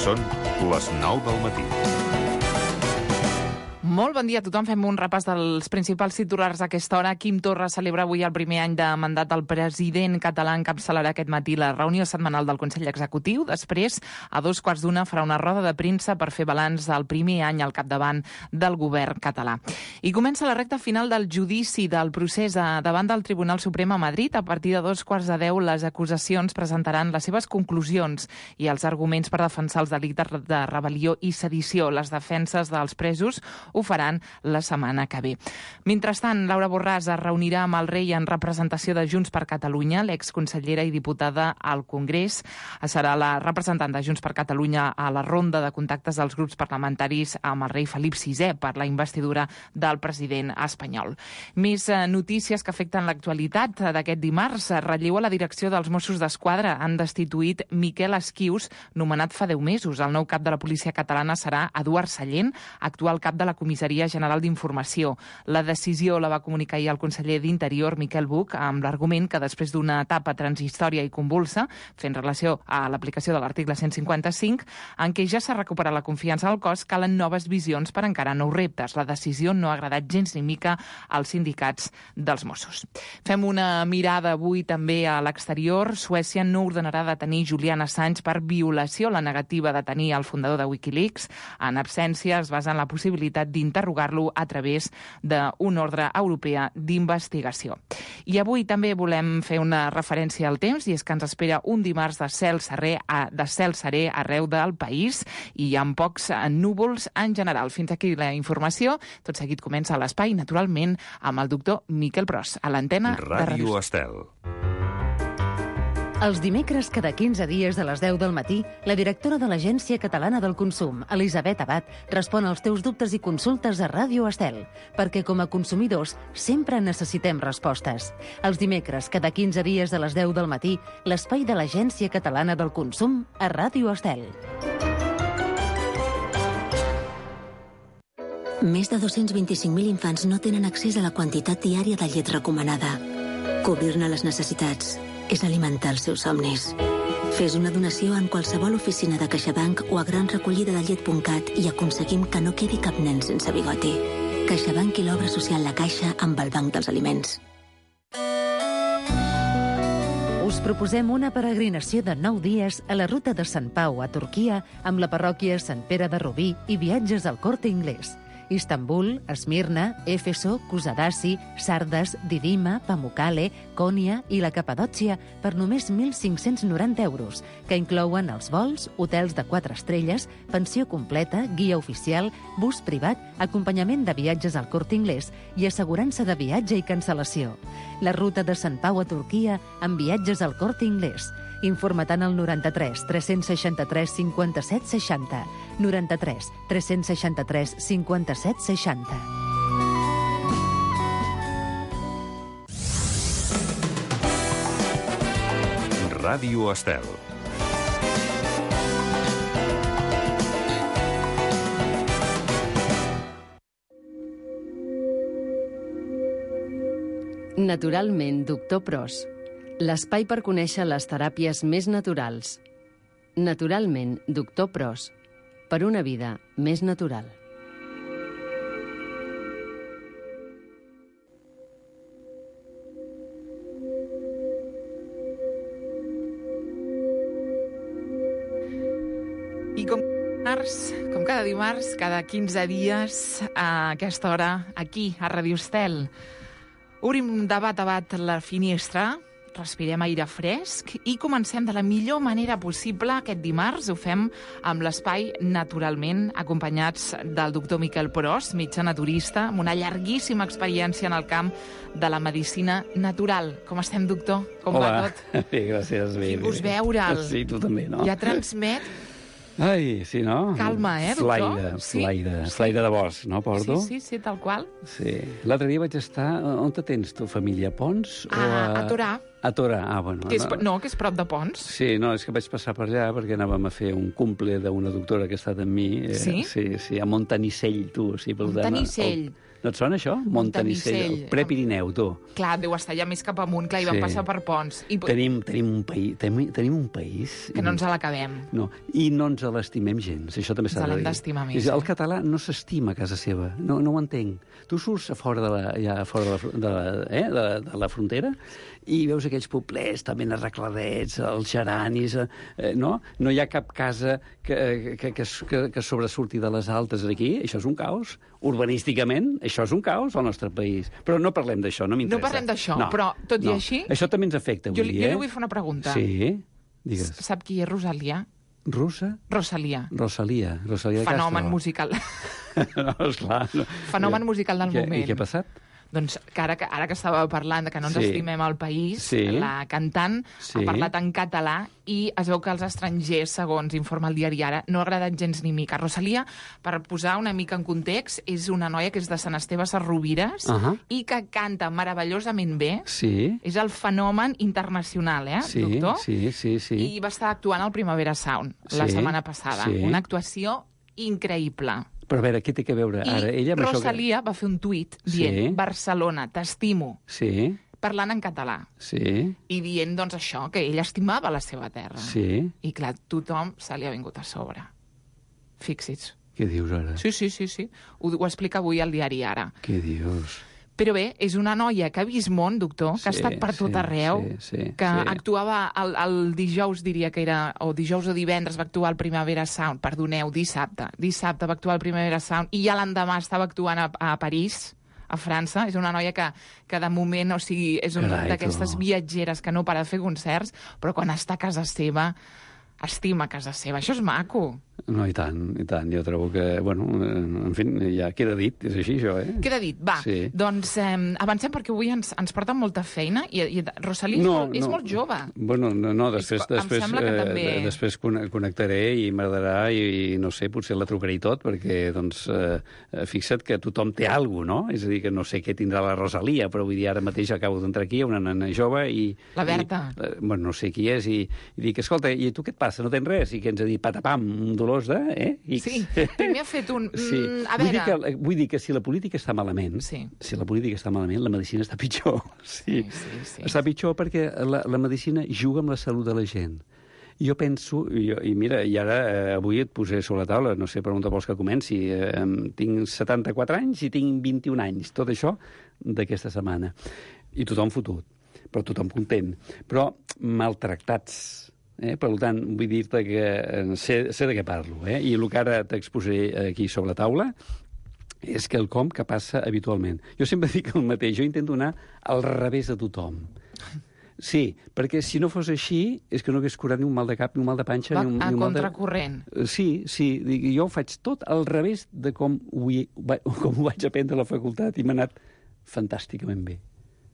Són les 9 del matí. Molt bon dia a tothom. Fem un repàs dels principals titulars a aquesta hora. Quim Torra celebra avui el primer any de mandat del president català. Encapçalarà aquest matí la reunió setmanal del Consell Executiu. Després, a 2:15, farà una roda de premsa per fer balanç del primer any al capdavant del govern català. I comença la recta final del judici del procés davant del Tribunal Suprem a Madrid. A partir de 2:15, les acusacions presentaran les seves conclusions i els arguments per defensar els delictes de rebel·lió i sedició. Les defenses dels presos ho faran la setmana que ve. Mentrestant, Laura Borràs es reunirà amb el rei en representació de Junts per Catalunya. L'exconsellera i diputada al Congrés serà la representant de Junts per Catalunya a la ronda de contactes dels grups parlamentaris amb el rei Felip VI per la investidura del president espanyol. Més notícies que afecten l'actualitat d'aquest dimarts. Relleu a la direcció dels Mossos d'Esquadra. Han destituït Miquel Esquius, nomenat fa 10 mesos. El nou cap de la policia catalana serà Eduard Sallent, actual cap de la Comissaria General d'Informació. La decisió la va comunicar ahir el conseller d'Interior, Miquel Buch, amb l'argument que després d'una etapa transitòria i convulsa, fent relació a l'aplicació de l'article 155, en què ja s'ha recuperat la confiança del cos, calen noves visions per encarar nous reptes. La decisió no ha agradat gens ni mica als sindicats dels Mossos. Fem una mirada avui també a l'exterior. Suècia no ordenarà detenir Julian Assange per violació. La negativa de detenir el fundador de Wikileaks en absència es basa en la possibilitat d'interrogar-lo a través d'una ordre europea d'investigació. I avui també volem fer una referència al temps, i és que ens espera un dimarts de cel serè arreu del país i amb pocs núvols en general. Fins aquí la informació. Tot seguit comença l'espai, naturalment, amb el doctor Miquel Pros, a l'antena de Ràdio Estel. Els dimecres, cada 15 dies a les 10 del matí, la directora de l'Agència Catalana del Consum, Elisabet Abad, respon als teus dubtes i consultes a Ràdio Estel, perquè com a consumidors sempre necessitem respostes. Els dimecres, cada 15 dies a les 10 del matí, l'espai de l'Agència Catalana del Consum a Ràdio Estel. Més de 225.000 infants no tenen accés a la quantitat diària de llet recomanada. Cobrir-ne les necessitats és alimentar els seus somnis. Fes una donació en qualsevol oficina de CaixaBank o a granrecollidadellet.cat i aconseguim que no quedi cap nen sense bigoti. CaixaBank i l'obra social La Caixa amb el Banc dels Aliments. Us proposem una peregrinació de 9 dies a la ruta de Sant Pau a Turquia amb la parròquia Sant Pere de Rubí i viatges al Corte Inglés. Istanbul, Esmirna, Éfeso, Kusadasi, Sardes, Didima, Pamukkale, Konya i la Capadòcia per només 1.590 euros, que inclouen els vols, hotels de 4 estrelles, pensió completa, guia oficial, bus privat, acompanyament de viatges al Corte Inglés i assegurança de viatge i cancel·lació. La ruta de Sant Pau a Turquia amb viatges al Corte Inglés. Informa-te'n al 93 363 57 60. 93 363 57 60. Ràdio Estel. Naturalment, doctor Pros. L'espai per conèixer les teràpies més naturals. Naturalment, doctor Pros. Per una vida més natural. I com cada dimarts, cada 15 dies, a aquesta hora, aquí, a Ràdio Estel, obrim de bat a bat la finestra, respirem aire fresc i comencem de la millor manera possible aquest dimarts. Ho fem amb l'espai Naturalment, acompanyats del doctor Miquel Pros, metge naturista, amb una llarguíssima experiència en el camp de la medicina natural. Com estem, doctor? Com va tot? Bé, gràcies. Vingut veure'l. Sí, tu també, no? Ja transmet Ai, sí, no? calma, doctor? Slaire de bosc, no, porto? Sí, tal qual. Sí. L'altre dia vaig estar... On te tens, tu, família? A Pons? A Torà. A Torà, bueno. Que és prop de Pons. Sí, no, és que vaig passar per allà perquè anàvem a fer un cumple d'una doctora que ha estat amb mi. Sí? Sí, a Montanissell, tu. Sí, Montanissell. No et sona això? Montanissell, Prepirineu, tu. Clar, deu estar ja més cap amunt. Clar, hi vam passar per ponts. Tenim un país... Que no ens l'acabem. No, i no ens l'estimem gens. Això també s'ha de dir. Ens l'hem d'estimar més. El català no s'estima a casa seva. No ho entenc. Tu surts a fora de la frontera i veus aquells poblets també arregladets, els geranis, no? No hi ha cap casa que sobresurti de les altes aquí. Això és un caos. Urbanísticament, això és un caos al nostre país. Però no parlem d'això, no m'interessa. No parlem d'això, però tot i així... Això també ens afecta, Jo li vull fer una pregunta. Sí, digues. Sap qui és Rosalia? Russa? Rosalia de Castro. Fenomen musical. No, esclar. No. Fenomen musical del moment. I què ha passat? Doncs que ara que estava parlant que no ens estimem al país, la cantant ha parlat en català i es veu que als estrangers, segons informa el diari Ara, no ha agradat gens ni mica. Rosalia, per posar una mica en context, és una noia que és de Sant Esteve Sesrovires i que canta meravellosament bé. Sí. És el fenomen internacional, doctor? Sí. I va estar actuant al Primavera Sound la setmana passada. Una actuació increïble. Però a veure, què té que veure ara ella amb Rosalia va fer un tuit dient Barcelona, t'estimo, parlant en català. I dient, doncs, això, que ella estimava la seva terra. I, clar, tothom se li ha vingut a sobre. Fixi's. Què dius ara? Sí. Ho explica avui al diari Ara. Què dius? Però bé, és una noia que ha vist món, doctor, que ha estat per tot arreu, que actuava el dijous, diria que era, o dijous o divendres va actuar al Primavera Sound, perdoneu, dissabte va actuar al Primavera Sound, i ja l'endemà estava actuant a París, a França. És una noia que de moment, o sigui, és una d'aquestes viatgeres que no para de fer concerts, però quan està a casa seva estima casa seva. Això és maco. No, i tant. Jo trobo que, bueno, en fi, ja queda dit, és així, això, Queda dit, va. Doncs avancem perquè avui ens porten molta feina i Rosalia és molt jove. Bueno, no, després em sembla que també... Després connectaré i m'agradarà i no sé, potser la trucaré i tot, perquè, doncs, fixa't que tothom té alguna cosa, no? És a dir, que no sé què tindrà la Rosalia, però vull dir, ara mateix acabo d'entrar aquí, una nena jove i... La Berta. Bueno, no sé qui és, i dic, escolta, i tu què et passa? No tens res? I que ens ha dit patapam, un dolor X. Sí, primer ha fet un... A veure... Vull dir que si la política està malament, la medicina està pitjor. Sí. Està pitjor perquè la medicina juga amb la salut de la gent. Jo penso, i mira, i ara avui et posaré sobre la taula, no sé per on vols que comenci, tinc 74 anys i tinc 21 anys, tot això d'aquesta setmana. I tothom fotut, però tothom content. Però maltractats. Per tant, vull dir-te que sé de què parlo. I el que ara t'exposaré aquí sobre la taula és quelcom que passa habitualment. Jo sempre dic el mateix, jo intento anar al revés de tothom. Sí, perquè si no fos així és que no hagués curat ni un mal de cap, ni un mal de panxa, ni un mal de... A contracorrent. Sí, jo ho faig tot al revés de com ho vaig aprendre a la facultat i m'ha anat fantàsticament bé.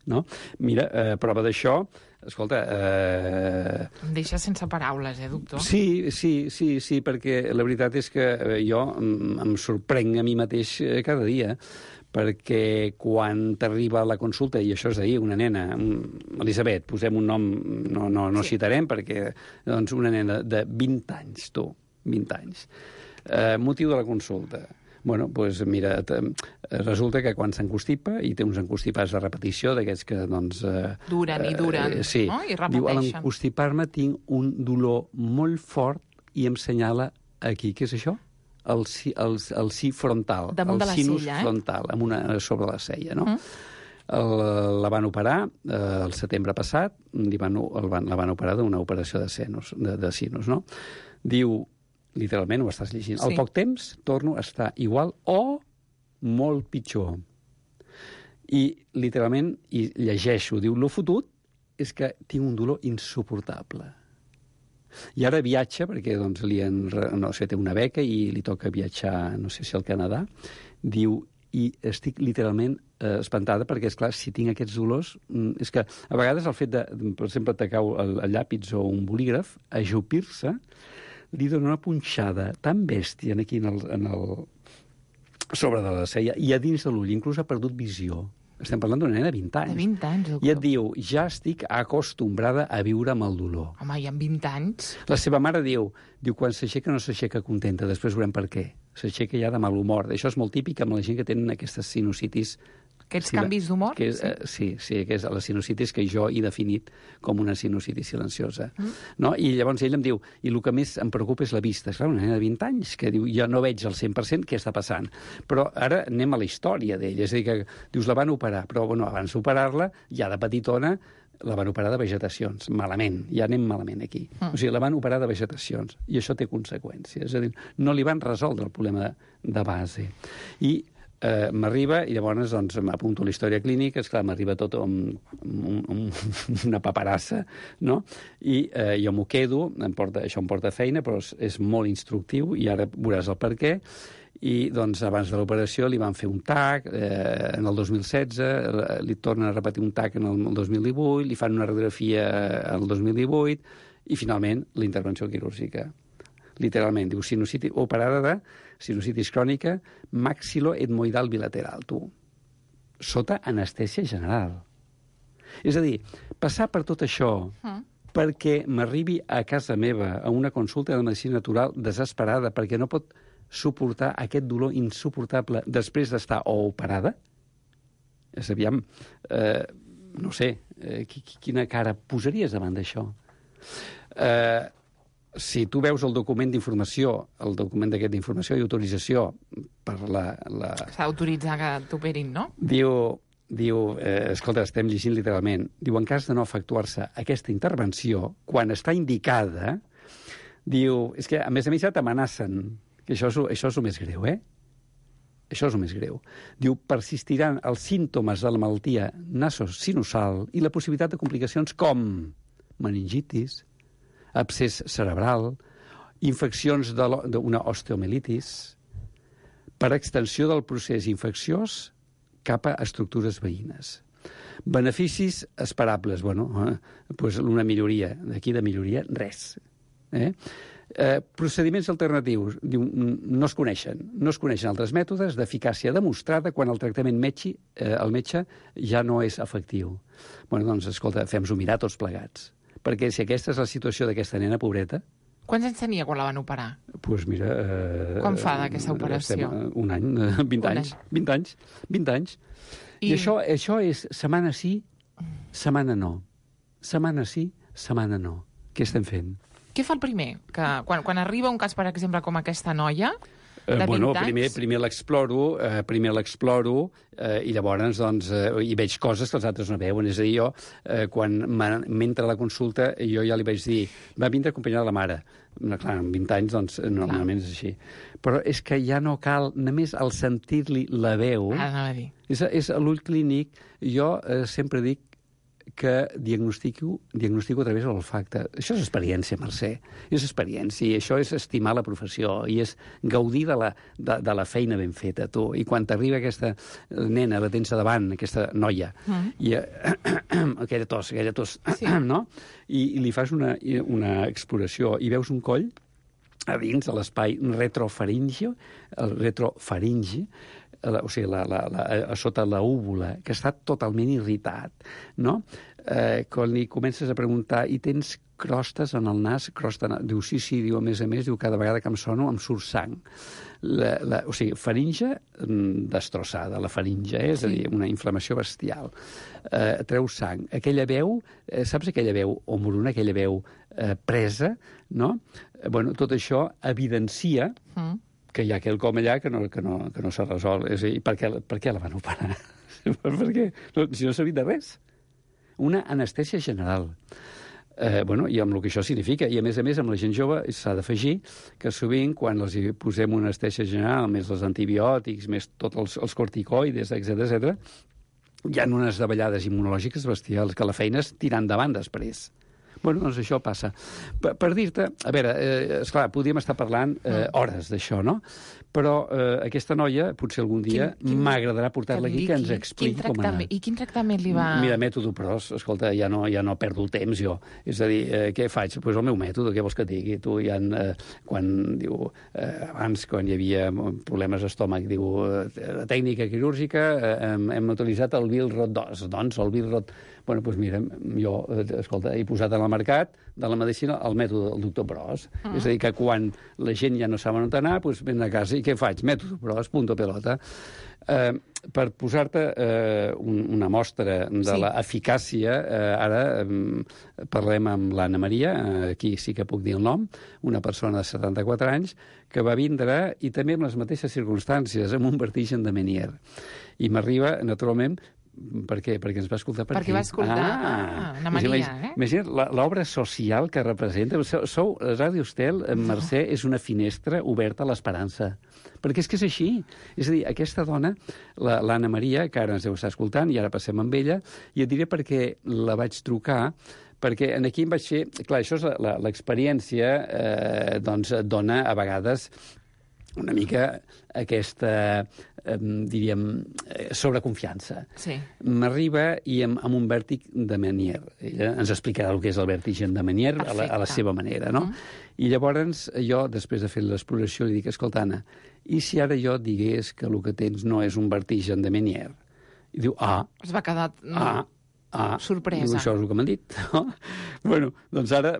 No? Mira, prova d'això, escolta... Em deixa sense paraules, doctor? Sí, perquè la veritat és que jo em sorprenc a mi mateix cada dia, perquè quan t'arriba la consulta, i això és d'ahir, una nena, Elisabet, posem un nom, no citarem, perquè doncs una nena de 20 anys, 20 anys. Motiu de la consulta. Bueno, doncs mira, resulta que quan s'encostipa, i té uns encostipats de repetició, d'aquests que, doncs... Duren, no? I repeteixen. Diu, a l'encostipar-me tinc un dolor molt fort i em senyala aquí, què és això? El si frontal. Damunt de la sella, sinus frontal, sobre la cella, no? La van operar el setembre passat, la van operar d'una operació de sinus, no? Diu, literalment ho estàs llegint. Al poc temps torno a estar igual o molt pitjor. I literalment, i llegeixo, diu, lo fotut és que tinc un dolor insuportable. I ara viatja, perquè doncs, té una beca i li toca viatjar, no sé si al Canadà, diu, i estic literalment espantada perquè, esclar, si tinc aquests dolors, és que a vegades el fet de, per exemple, te cau el llàpis o un bolígraf, ajupir-se, li dona una punxada tan bèstia aquí sobre de la cella i a dins de l'ull, inclús ha perdut visió. Estem parlant d'una nena de 20 anys. De 20 anys, doctor. I et diu, ja estic acostumbrada a viure amb el dolor. Home, i amb 20 anys? La seva mare diu, quan s'aixeca no s'aixeca contenta, després veurem per què. s'aixeca ja de mal humor. Això és molt típic amb la gent que tenen aquestes sinusitis. Aquests canvis d'humor? Sí, que és la sinusitis que jo he definit com una sinusitis silenciosa. No? I llavors ell em diu, i el que més em preocupa és la vista. És clar, una nena de 20 anys que diu, jo no veig al 100% què està passant. Però ara anem a la història d'ell. És a dir, que dius, la van operar, però bueno, abans d'operar-la, ja de petitona, la van operar de vegetacions. Malament, ja anem malament aquí. O sigui, la van operar de vegetacions, i això té conseqüències. És a dir, no li van resoldre el problema de base. I m'arriba, i llavors doncs, m'apunto a la història clínica, esclar, m'arriba tot una paperassa, no? I jo m'ho quedo, això em porta feina, però és molt instructiu, i ara veuràs el per què. I doncs, abans de l'operació li van fer un TAC en el 2016, li tornen a repetir un TAC en el 2018, li fan una radiografia el 2018, i finalment la intervenció quirúrgica. Literalment, diu, sinusitis, operada de sinusitis crònica maxiloetmoidal bilateral, tu. Sota anestèsia general. És a dir, passar per tot això perquè m'arribi a casa meva a una consulta de medicina natural desesperada perquè no pot suportar aquest dolor insuportable després d'estar o operada? És aviam, no sé, quina cara posaries davant d'això? Si tu veus el document d'informació, el document d'aquest d'informació i autorització per la... S'ha d'autoritzar que t'operin, no? Diu, escolta, estem llegint literalment, diu, en cas de no efectuar-se aquesta intervenció, quan està indicada, diu, és que a més ja t'amenacen, que això és el més greu, Això és el més greu. Diu, persistiran els símptomes de la malaltia nasosinusal i la possibilitat de complicacions com meningitis, abscés cerebral, infeccions d'una osteomelitis, per extensió del procés infecciós cap a estructures veïnes. Beneficis esperables, bueno, doncs una milloria. D'aquí de milloria, res. Procediments alternatius, diu, no es coneixen. No es coneixen altres mètodes d'eficàcia demostrada quan el tractament el metge ja no és efectiu. Bueno, doncs, escolta, fem-nos-ho mirar tots plegats. Perquè si aquesta és la situació d'aquesta nena pobreta... Quants anys tenia quan la van operar? Doncs mira... Quan fa d'aquesta operació? Un any, 20 anys. 20 anys. I això és setmana sí, setmana no. Setmana sí, setmana no. Què estem fent? Què fa el primer? Que quan arriba un cas, per exemple, com aquesta noia... Bueno, primer l'exploro, i llavors doncs, hi veig coses que els altres no veuen. És a dir, jo, quan m'entra a la consulta, jo ja li vaig dir, va vindre acompanyada de la mare. Clar, amb 20 anys, doncs, normalment és així. Però és que ja no cal, només al sentir-li la veu... És a l'ull clínic, jo sempre dic que diagnostico a través de l'olfacte. Això és experiència, Mercè. És experiència, i això és estimar la professió, i és gaudir de la feina ben feta, tu. I quan t'arriba aquesta nena, la tens davant, aquesta noia, i aquella tos, sí. No? I li fas una exploració, i veus un coll a dins de l'espai retrofaringi, el retrofaringi, o sigui, sota la úvula, que està totalment irritat, no? Quan li comences a preguntar, i tens crostes en el nas? Diu, sí, diu, a més, diu, cada vegada que em sono em surt sang. O sigui, faringe destrossada, la faringe, és a dir, una inflamació bestial. Treu sang. Aquella veu, saps aquella veu omoruna, aquella veu presa, no? Bueno, tot això evidencia que hi ha quelcom allà que no s'ha resolt. És a dir, per què la van operar? Per què? Si no s'ha vist de res. Una anestèsia general. I amb el que això significa. I, a més, amb la gent jove s'ha d'afegir que sovint, quan els posem una anestèsia general, més els antibiòtics, més tots els corticoides, etc., hi ha unes davallades immunològiques bestials, que la feina és tirar endavant després. Bueno, doncs això passa. Per dir-te, a veure, esclar, podríem estar parlant hores d'això, no? Però aquesta noia, potser algun dia, m'agradarà portar-la aquí, que ens expliqui com ha anat. I quin tractament li va... Mira, mètode PROS, escolta, ja no perdo el temps, jo. És a dir, què faig? Doncs el meu mètode, què vols que et digui? Tu ja, abans, quan hi havia problemes d'estómac, diu, la tècnica quirúrgica, hem utilitzat el Billrod 2. Doncs el Billrod... Bueno, doncs mira, jo, escolta, he posat en la mercat de la medicina el mètode del doctor Pros. És a dir, que quan la gent ja no sap on anar, doncs venen a casa i què faig? Mètode Pros, punto pelota. Per posar-te una mostra de l'eficàcia, ara parlem amb l'Anna Maria, aquí sí que puc dir el nom, una persona de 74 anys, que va vindre, i també amb les mateixes circumstàncies, amb un vertigen de Meniere. I m'arriba, naturalment, per què? Perquè ens va escoltar per aquí. Perquè va escoltar Anna Maria, Imagina't l'obra social que representa. Ràdio Estel, Mercè, és una finestra oberta a l'esperança. Perquè és que és així. És a dir, aquesta dona, l'Anna Maria, que ara ens deu estar escoltant, i ara passem amb ella, i et diré per què la vaig trucar, perquè aquí em vaig fer... Clar, això és l'experiència, doncs et dona a vegades una mica aquesta, diríem, sobreconfiança. Sí. M'arriba i amb un vèrtic de Meniere. Ella ens explicarà el que és el vertigen de Meniere a la seva manera, no? I llavors jo, després de fer l'exploració, li dic, escolta, Anna, i si ara jo et digués que el que tens no és un vertigen de Meniere? I diu, Es va quedar... sorpresa. Diu, això és el que m'han dit. Bueno, doncs ara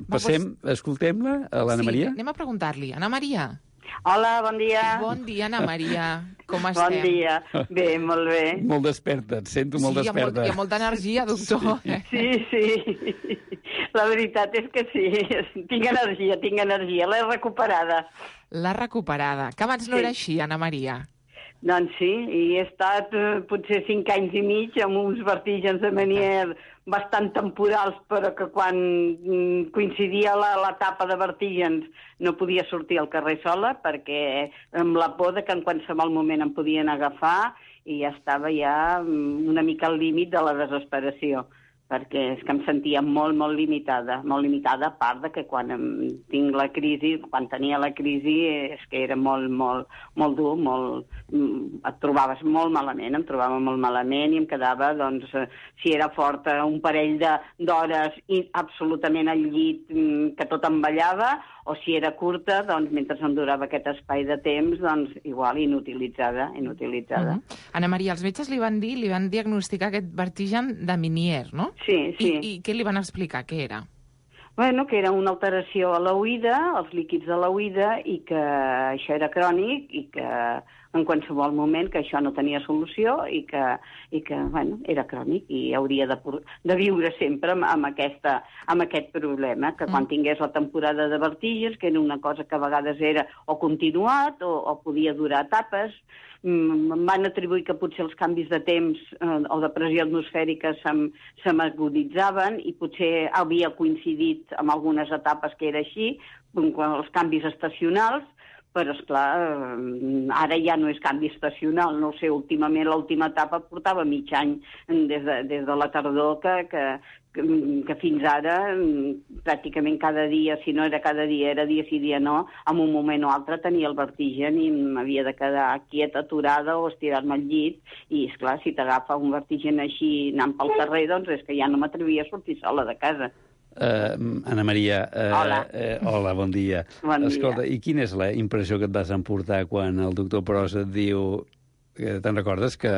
passem, escoltem-la, a l'Anna Maria. Sí, anem a preguntar-li. Anna Maria. Hola, bon dia. Bon dia, Anna Maria. Com estem? Bon dia. Bé, molt bé. Molt desperta, et sento molt desperta. Hi ha molta energia, doctor. Sí. La veritat és que sí. Tinc energia. L'he recuperada. L'ha recuperada. Que abans no era així, Anna Maria. Doncs sí, i he estat potser 5 anys i mig amb uns vertigens de Meniere bastant temporals, però que quan coincidia l'etapa de vertigens no podia sortir al carrer sola, perquè amb la por de que en qualsevol moment em podien agafar i ja estava una mica al límit de la desesperació, perquè és que em sentia molt limitada, a part de que quan tenia la crisi, és que era molt dur, et trobaves molt malament, em trobava molt malament i em quedava, doncs, si era forta, un parell d'hores absolutament al llit, que tot em ballava, o si era curta, doncs, mentre em durava aquest espai de temps, doncs, igual, inutilitzada. Anna Maria, els metges li van diagnosticar aquest vertigen de Meniere, no? Sí. I què li van explicar? Què era? Bueno, que era una alteració a l'oïda, als líquids de l'oïda, i que això era crònic, i que en qualsevol moment que això no tenia solució, i que bueno, era crònic, i hauria de viure sempre amb aquest problema, que quan tingués la temporada de vertigens, que era una cosa que a vegades era o continuat o podia durar etapes, em van atribuir que potser els canvis de temps o de pressió atmosfèrica se m'aguditzaven i potser havia coincidit amb algunes etapes que era així, els canvis estacionals, però, esclar, ara ja no és canvi estacional, no ho sé, últimament l'última etapa portava mig any des de la tardor que fins ara pràcticament cada dia, si no era cada dia, era dia sí, dia no, en un moment o altre tenia el vertigen i m'havia de quedar quieta, aturada o estirar-me al llit, i esclar, si t'agafa un vertigen així anant pel carrer, doncs és que ja no m'atrevia a sortir sola de casa. Anna Maria, hola, bon dia. Escolta, i quina és la impressió que et vas emportar quan el doctor Pros et diu, te'n recordes, que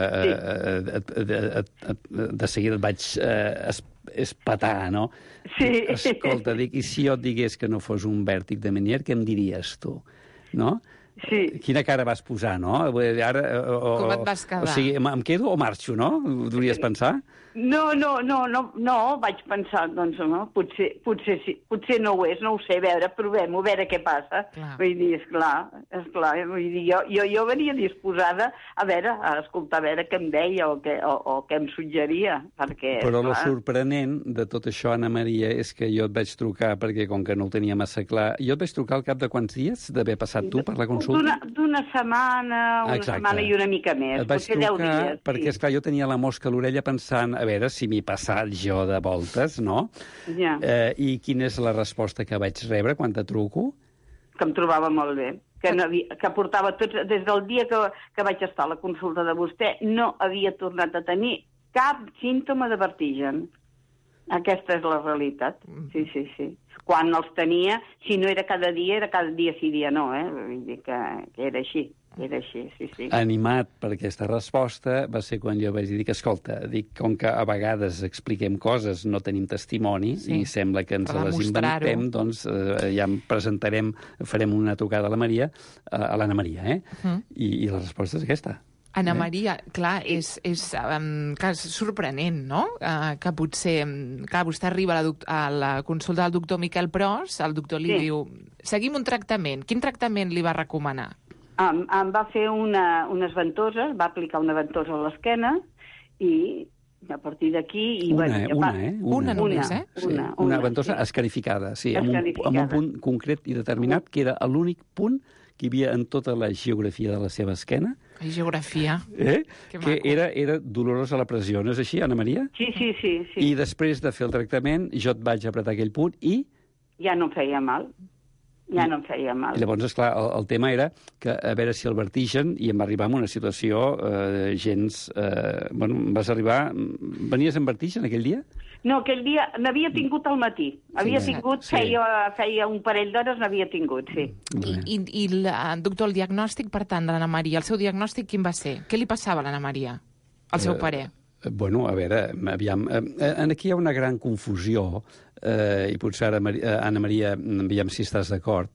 de seguida et vaig espetar, no? Sí. Escolta, i si jo et digués que no fos un vèrtic de Meniere, què em diries tu? No? Sí. Quina cara vas posar, no? Ara, com et vas quedar? O sigui, em quedo o marxo, no? Devries pensar? No, vaig pensar, doncs, no, potser sí, potser no ho és, no ho sé, provem-ho, a veure què passa. Clar. Vull dir, esclar, vull dir, jo venia disposada a escoltar, a veure què em deia o què em suggeria, perquè... Però el sorprenent de tot això, Anna Maria, és que jo et vaig trucar, perquè com que no ho tenia massa clar, jo et vaig trucar al cap de quants dies d'haver passat tu per la consulta? D'una setmana, setmana i una mica més, potser 10 dies. Perquè, esclar, jo tenia la mosca a l'orella pensant, a veure si m'hi he passat jo de voltes, no? Ja. I quina és la resposta que vaig rebre quan te truco? Que em trobava molt bé. Que portava tots... Des del dia que vaig estar a la consulta de vostè, no havia tornat a tenir cap símptoma de vertigen. Aquesta és la realitat. Sí. Quan els tenia, si no era cada dia sí, dia no, Vull dir que era així. Era així, sí. Animat per aquesta resposta va ser quan jo vaig dir que, escolta, com que a vegades expliquem coses, no tenim testimoni, i sembla que ens les inventem, doncs ja farem una trucada a l'Anna Maria, I la resposta és aquesta. Anna Maria, clar, és sorprenent, no? Que potser, clar, vostè arriba a la consulta del doctor Miquel Pros, el doctor li diu, seguim un tractament. Quin tractament li va recomanar? Em va fer unes ventoses, va aplicar una ventosa a l'esquena i a partir d'aquí... Una només, eh? Una ventosa escarificada, sí, amb un punt concret i determinat, que era l'únic punt que hi havia en tota la geografia de la seva esquena. Geografia. Que era dolorosa la pressió, no és així, Anna Maria? Sí. I després de fer el tractament, jo et vaig apretar aquell punt i... Ja no em feia mal. I llavors, esclar, el tema era que a veure si el vertigen, i em va arribar en una situació gens... vas arribar... Venies amb vertigen aquell dia? No, aquell dia n'havia tingut al matí. Feia un parell d'hores n'havia tingut, sí. I doctor, el diagnòstic, per tant, de l'Anna Maria, el seu diagnòstic quin va ser? Què li passava a l'Anna Maria, al seu parer? Bueno, a veure, aviam, aquí hi ha una gran confusió, i potser ara, Anna Maria, aviam si estàs d'acord,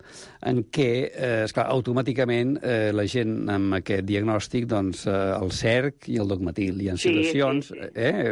en què, esclar, automàticament la gent amb aquest diagnòstic, doncs, el cerc i el dogmatil. Hi ha situacions,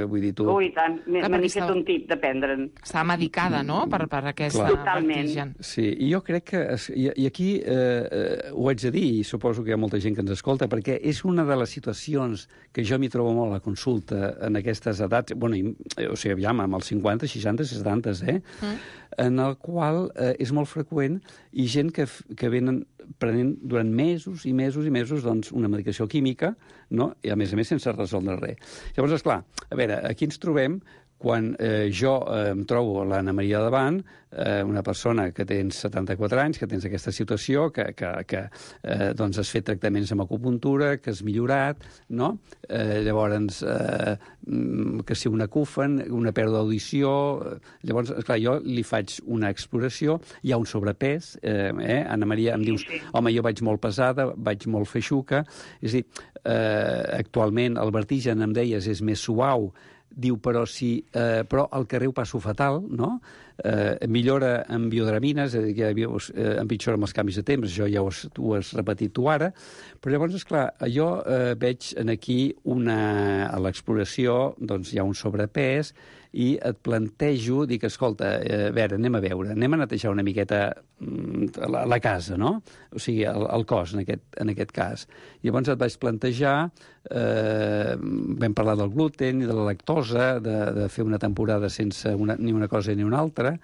vull dir tu... Ui, tant, m'he fet un tip de prendre'n. Està medicada, no?, per aquesta vertigen. Sí, i jo crec que... I aquí ho haig de dir, i suposo que hi ha molta gent que ens escolta, perquè és una de les situacions que jo m'hi trobo molt a la consulta en aquestes edats, o sigui, aviam, amb els 50, 60, 70, en el qual és molt freqüent i gent que venen prenent durant mesos i mesos i mesos doncs, una medicació química, no? I a més sense resoldre res. Llavors, esclar, a veure, aquí ens trobem quan jo em trobo l'Anna Maria davant, una persona que tens 74 anys, que tens aquesta situació, que doncs has fet tractaments amb acupuntura, que has millorat, no? Llavors, que si un acufen, una pèrdua d'audició... Llavors, esclar, jo li faig una exploració, hi ha un sobrepès, Anna Maria, em dius, home, jo vaig molt pesada, vaig molt feixuca, és a dir, actualment el vertigen, em deies, és més suau, diu, però al carrer ho passo fatal, no? Millora amb biodramines, és a dir, que empitjora amb els canvis de temps, això ja ho has repetit tu ara, però llavors, esclar, jo veig aquí a l'exploració, doncs hi ha un sobrepès, i et plantejo, dic, escolta, a veure, anem a netejar una miqueta la casa, no? O sigui, el cos, en aquest cas. Llavors et vaig plantejar, vam parlar del gluten i de la lactosa, de fer una temporada sense ni una cosa ni una altra,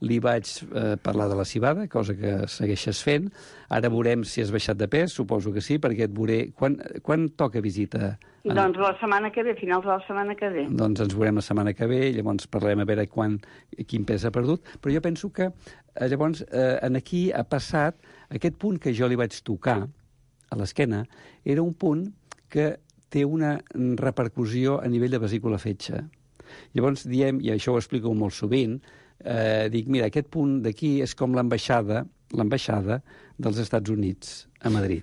li vaig parlar de la civada, cosa que segueixes fent. Ara veurem si has baixat de pes, suposo que sí, perquè et veuré... Quan toca visita? Doncs la setmana que ve, finals de la setmana que ve. Doncs ens veurem la setmana que ve, llavors parlem a veure quin pes ha perdut, però jo penso que llavors aquí ha passat aquest punt que jo li vaig tocar a l'esquena, era un punt que té una repercussió a nivell de vesícula fetge. Llavors diem, i això ho explico molt sovint, dic, mira, aquest punt d'aquí és com l'ambaixada dels Estats Units a Madrid.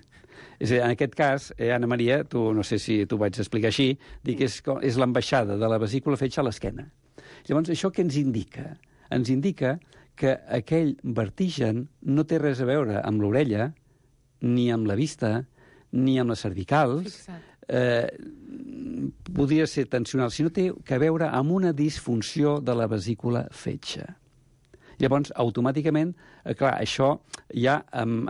És a dir, en aquest cas, Anna Maria, no sé si t'ho vaig explicar així, dic, és l'ambaixada de la vesícula fetge a l'esquena. Llavors, això què ens indica? Ens indica que aquell vertigen no té res a veure amb l'orella, ni amb la vista, ni amb les cervicals, podria ser tensional, sinó té a veure amb una disfunció de la vesícula fetge. Llavors, automàticament, clar, això ja em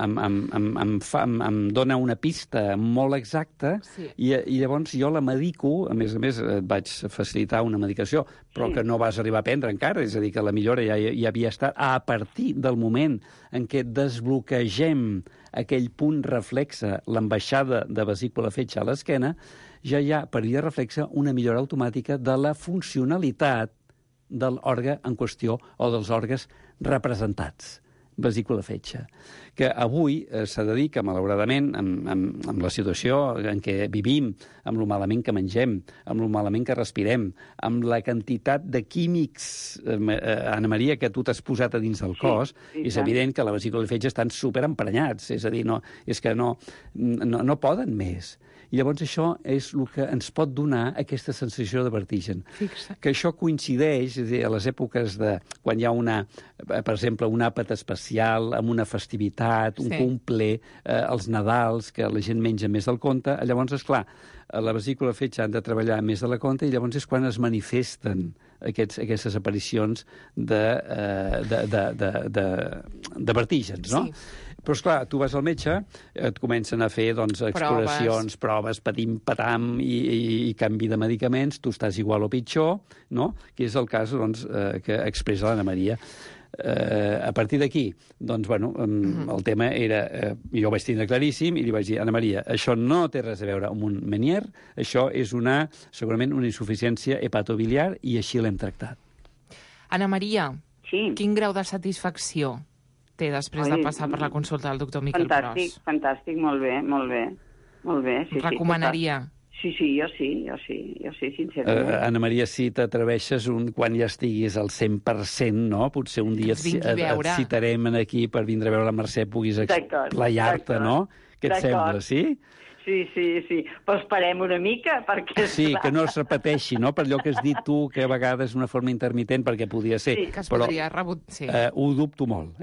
dona una pista molt exacta i llavors jo la medico, a més et vaig facilitar una medicació, però que no vas arribar a prendre encara, és a dir, que la millora ja havia estat a partir del moment en què desbloquegem aquell punt reflexe, l'ambaixada de vesícula fetge a l'esquena, ja hi ha, per via reflexa, una millora automàtica de la funcionalitat de l'òrgan en qüestió o dels òrgans representats. vesícula fetge, que avui s'ha de dir que, malauradament, amb la situació en què vivim, amb lo malament que mengem, amb lo malament que respirem, amb la quantitat de químics, Anna Maria, que tu t'has posat a dins del cos, és evident que la vesícula fetge estan superemprenyats, és a dir, és que no poden més. I llavors això és el que ens pot donar aquesta sensació de vertigen. Fixa. Que això coincideix, és a dir, a les èpoques de quan hi ha per exemple, un àpat especial, amb una festivitat, un cumple, els Nadals, que la gent menja més del compte, llavors, esclar, la vesícula fetge han de treballar més de la compte i llavors és quan es manifesten aquestes aparicions de vertígens, no? Sí. Però, esclar, tu vas al metge, et comencen a fer exploracions, proves, patim-patam i canvi de medicaments, tu estàs igual o pitjor, no? Que és el cas que expressa l'Anna Maria. A partir d'aquí, el tema era... jo ho vaig tindre claríssim i li vaig dir, Anna Maria, això no té res a veure amb un Meniere, això és segurament una insuficiència hepatobiliar i així l'hem tractat. Anna Maria, quin grau de satisfacció té després de passar per la consulta del doctor Miquel Pros? Fantàstic, molt bé. Recomanaria? Sí, jo sí, sincerament. Anna Maria, si t'atreveixes quan ja estiguis al 100%, no? Potser un dia et citarem aquí per vindre a veure la Mercè, puguis explayar-te, no? Què et sembla, sí? Sí, però esperem una mica, perquè... Sí, que no es repeteixi, no? Per allò que has dit tu, que a vegades una forma intermitent, perquè podia ser. Sí, que es podria sí. Ho dubto molt,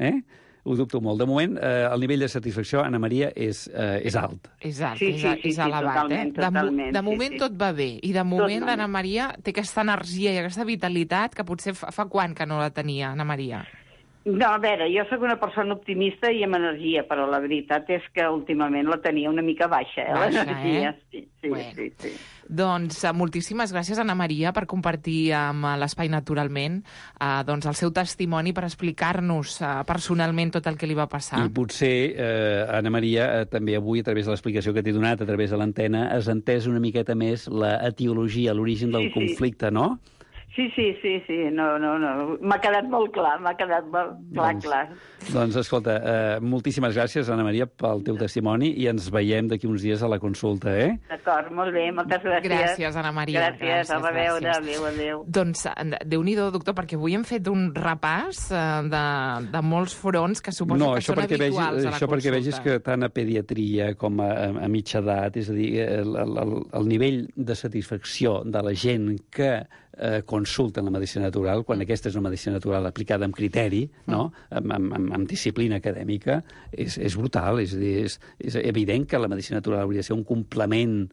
Ho dubto molt. De moment, el nivell de satisfacció, Anna Maria, és alt. És alt, és elevat, totalment. De moment tot va bé. I de moment l'Anna Maria té aquesta energia i aquesta vitalitat que potser fa quan que no la tenia, Anna Maria? No, a veure, jo sóc una persona optimista i amb energia, però la veritat és que últimament la tenia una mica baixa, l'energia. Sí. Doncs moltíssimes gràcies, Anna Maria, per compartir amb l'Espai Naturalment el seu testimoni, per explicar-nos personalment tot el que li va passar. I potser, Anna Maria, també avui, a través de l'explicació que t'he donat, a través de l'antena, has entès una miqueta més l'etiologia, l'origen del conflicte, no? Sí, no. M'ha quedat molt clar, clar. Doncs, escolta, moltíssimes gràcies, Anna Maria, pel teu testimoni i ens veiem d'aquí uns dies a la consulta, D'acord, molt bé, moltes gràcies. Gràcies, Anna Maria. Gràcies, a reveure, adéu. Doncs, Déu-n'hi-do, doctor, perquè avui hem fet un repàs de molts fronts que suposo que són habituals a la consulta. Això perquè vegis que tant a pediatria com a mitja edat, és a dir, el nivell de satisfacció de la gent que consulten la medicina natural, quan aquesta és una medicina natural aplicada amb criteri, no? amb disciplina acadèmica, és brutal. És a dir, és evident que la medicina natural hauria de ser un complement,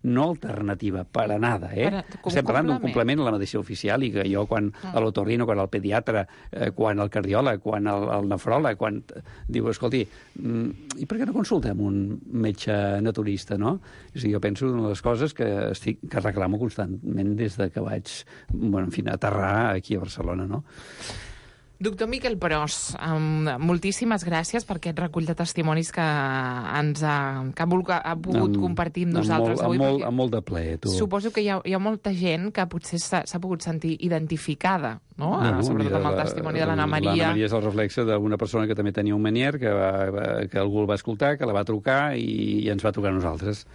no alternativa, per a nada. Estem parlant d'un complement a la medicina oficial i que jo, quan a l'otorrino, quan al pediatre, quan al cardiòleg, quan al nefròleg, quan diu, escolti, i per què no consultem un metge naturista, no? És a dir, jo penso una de les coses que reclamo constantment des que vaig, aterrar aquí a Barcelona, no? Doctor Miquel Pros, moltíssimes gràcies per aquest recull de testimonis que ha pogut compartir amb nosaltres avui. Amb molt de plaer, tu. Suposo que hi ha molta gent que potser s'ha pogut sentir identificada, no? Sobretot amb el testimoni de l'Anna Maria. L'Anna Maria és el reflexe d'una persona que també tenia un Meniere, que algú el va escoltar, que la va trucar i ens va trucar a nosaltres.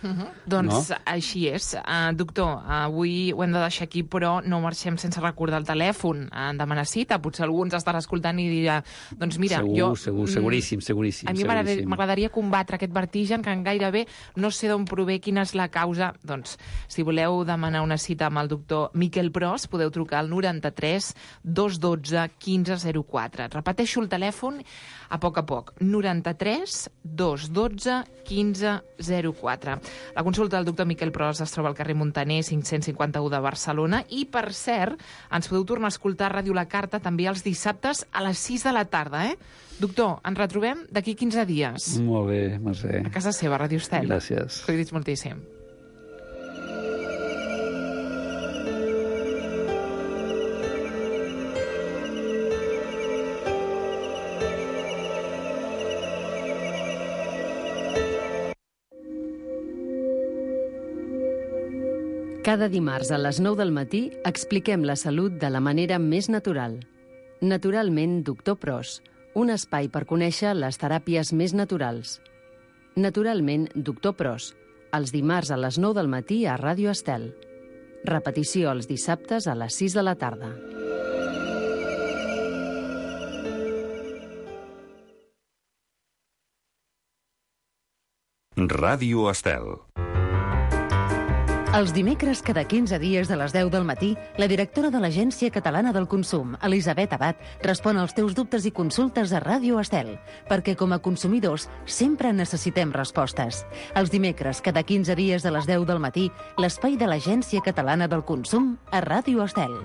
Doncs així és. Doctor, avui ho hem de deixar aquí, però no marxem sense recordar el telèfon. Demanar cita, potser algú ens estarà escoltant i dirà, doncs mira, seguríssim. A mi m'agradaria combatre aquest vertigen que gairebé no sé d'on prové, quina és la causa. Doncs, si voleu demanar una cita amb el doctor Miquel Pros, podeu trucar al 93 212 1504. Repeteixo el telèfon a poc. 93 212 1504. La consulta del doctor Miquel Pros es troba al carrer Montaner 551 de Barcelona i, per cert, ens podeu tornar a escoltar a Ràdio La Carta també els dissabtes a les 6 de la tarda, Doctor, ens retrobem d'aquí 15 dies. Molt bé, Mercè. A casa seva, Ràdio Estel. Gràcies. Cuidi's moltíssim. Cada dimarts a les 9 del matí expliquem la salut de la manera més natural. Naturalment, doctor Pros, un espai per conèixer les teràpies més naturals. Naturalment, doctor Pros, els dimarts a les 9 del matí a Ràdio Estel. Repetició els dissabtes a les 6 de la tarda. Ràdio Estel. Els dimecres, cada 15 dies a les 10 del matí, la directora de l'Agència Catalana del Consum, Elisabet Abad, respon als teus dubtes i consultes a Ràdio Estel, perquè com a consumidors sempre necessitem respostes. Els dimecres, cada 15 dies a les 10 del matí, l'espai de l'Agència Catalana del Consum a Ràdio Estel.